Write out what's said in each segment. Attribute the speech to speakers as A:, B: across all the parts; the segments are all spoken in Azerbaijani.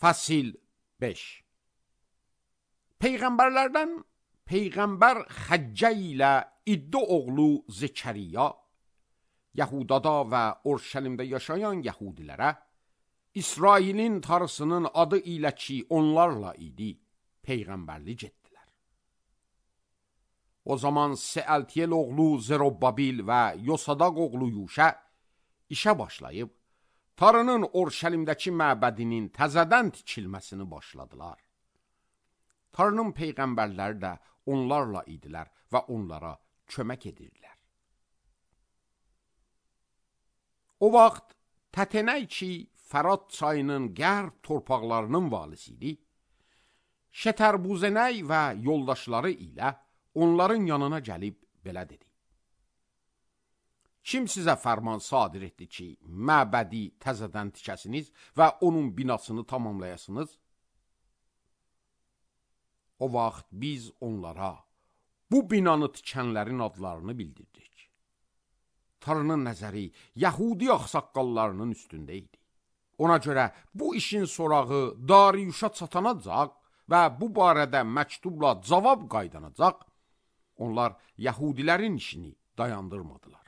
A: Fəsil 5. Peyğəmbərlərdən Peyğəmbər Xəccə ilə İddə oğlu Zəkəriya, Yəhudada və Urşəlimdə yaşayan Yəhudilərə, İsrailin tarısının adı ilə ki onlarla idi, Peyğəmbərlik etdilər. O zaman Seəltiyel oğlu Zerobbabil və Yosadaq oğlu Yuşə işə başlayıb, tarının Urşəlimdəki məbədinin təzədən tikilməsini başladılar. Tarının peyğəmbərləri də onlarla idilər və onlara kömək edirdilər. O vaxt Tətenəy ki, Fərat çayının qərb torpaqlarının valisi idi, Şətərbuzənəy və yoldaşları ilə onların yanına gəlib belə dedi: Kim sizə fərman sadir etdi ki, məbədi təzədən tikəsiniz və onun binasını tamamlayasınız? O vaxt biz onlara bu binanı tikənlərin adlarını bildirdik. Tarının nəzəri Yəhudi ağsaqqallarının üstündə idi. Ona görə bu işin sorağı Dariyuşa çatanacaq və bu barədə məktubla cavab qaydanacaq, onlar Yəhudilərin işini dayandırmadılar.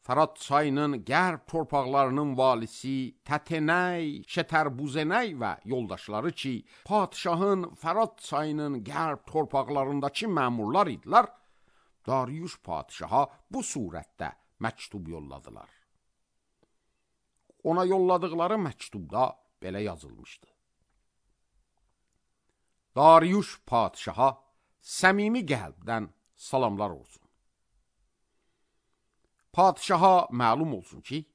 A: Fərat çayının qərb torpaqlarının valisi Tətenəy, Şətərbuzənəy və yoldaşları ki, padişahın Fərat çayının qərb torpaqlarındakı məmurlar idilər, Dariyuş padişaha bu surətdə məktub yolladılar. Ona yolladıkları məktubda belə yazılmışdı: Dariyuş padişaha səmimi qəlbdən salamlar olsun. Padişaha məlum olsun ki,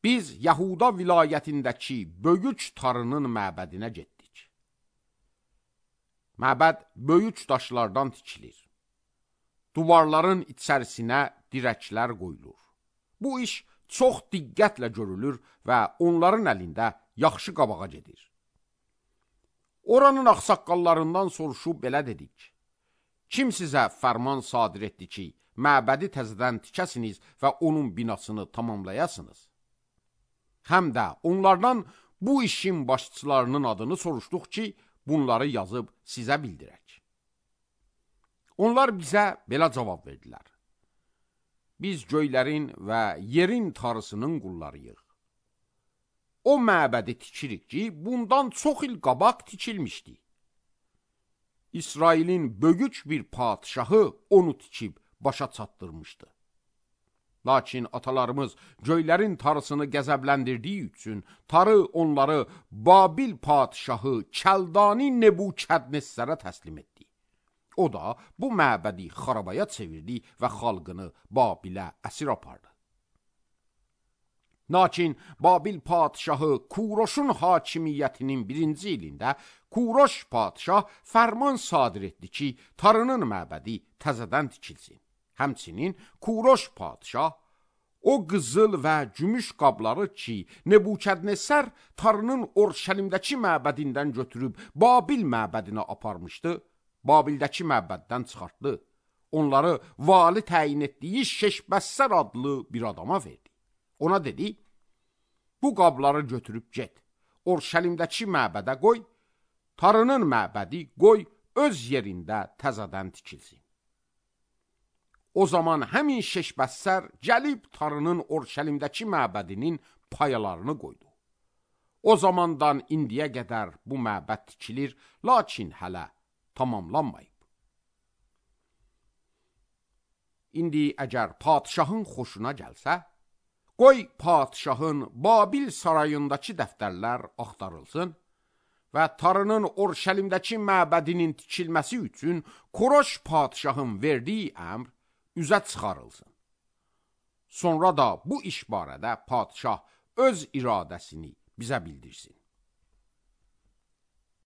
A: biz Yahuda vilayətindəki böyük tarının məbədinə getdik. Məbəd böyük daşlardan tikilir. Duvarların içərisinə dirəklər qoyulur. Bu iş çox diqqətlə görülür və onların əlində yaxşı qabağa gedir. Oranın ağsaqqallarından soruşub belə dedik: Kim sizə fərman sadir etdi ki, məbədi təzədən tikəsiniz və onun binasını tamamlayasınız? Həm də onlardan bu işin başçılarının adını soruşduq ki, bunları yazıb sizə bildirək. Onlar bizə belə cavab verdilər: Biz göylərin və yerin tarısının qullarıyıq. O məbədi tikirik ki, bundan çox il qabaq tikilmişdi. İsrailin böyük bir padişahı onu tikib başa çatdırmışdı. Lakin atalarımız göylərin tarısını qəzəbləndirdiyi üçün tarı onları Babil padişahı Kəldani Nebukadnezərə təslim etdi. O da bu məbədi xarabaya çevirdi və xalqını Babilə əsir apardı. Lakin Babil padişahı Kuroşun hakimiyyətinin 1-ci ilində Kuroş padişah fərman sadir etdi ki, tarının məbədi təzədən tikilsin. Həmçinin Kuroş padişah o qızıl və gümüş qabları ki, Nebukadnezər tarının Urşəlimdəki məbədindən götürüb Babil məbədinə aparmışdı, Babildəki məbəddən çıxartdı. Onları vali təyin etdiyi Şeşbəssər adlı bir adama verdi. Ona dedi: Bu qabları götürüb get, Urşəlimdəki məbədə qoy, tarının məbədi qoy öz yerində təzədən tikilsin. O zaman həmin Şeşbəssər gəlib tarının Urşəlimdəki məbədinin payalarını qoydu. O zamandan indiyə qədər bu məbəd tikilir, lakin hələ tamamlanmayıb. İndi əgər padişahın xoşuna gəlsə, qoy padişahın Babil sarayındakı dəftərlər axtarılsın və tarının Urşəlimdəki məbədinin tikilməsi üçün Kuroş padişahın verdiyi əmr üzə çıxarılsın. Sonra da bu iş barədə padişah öz iradəsini bizə bildirsin.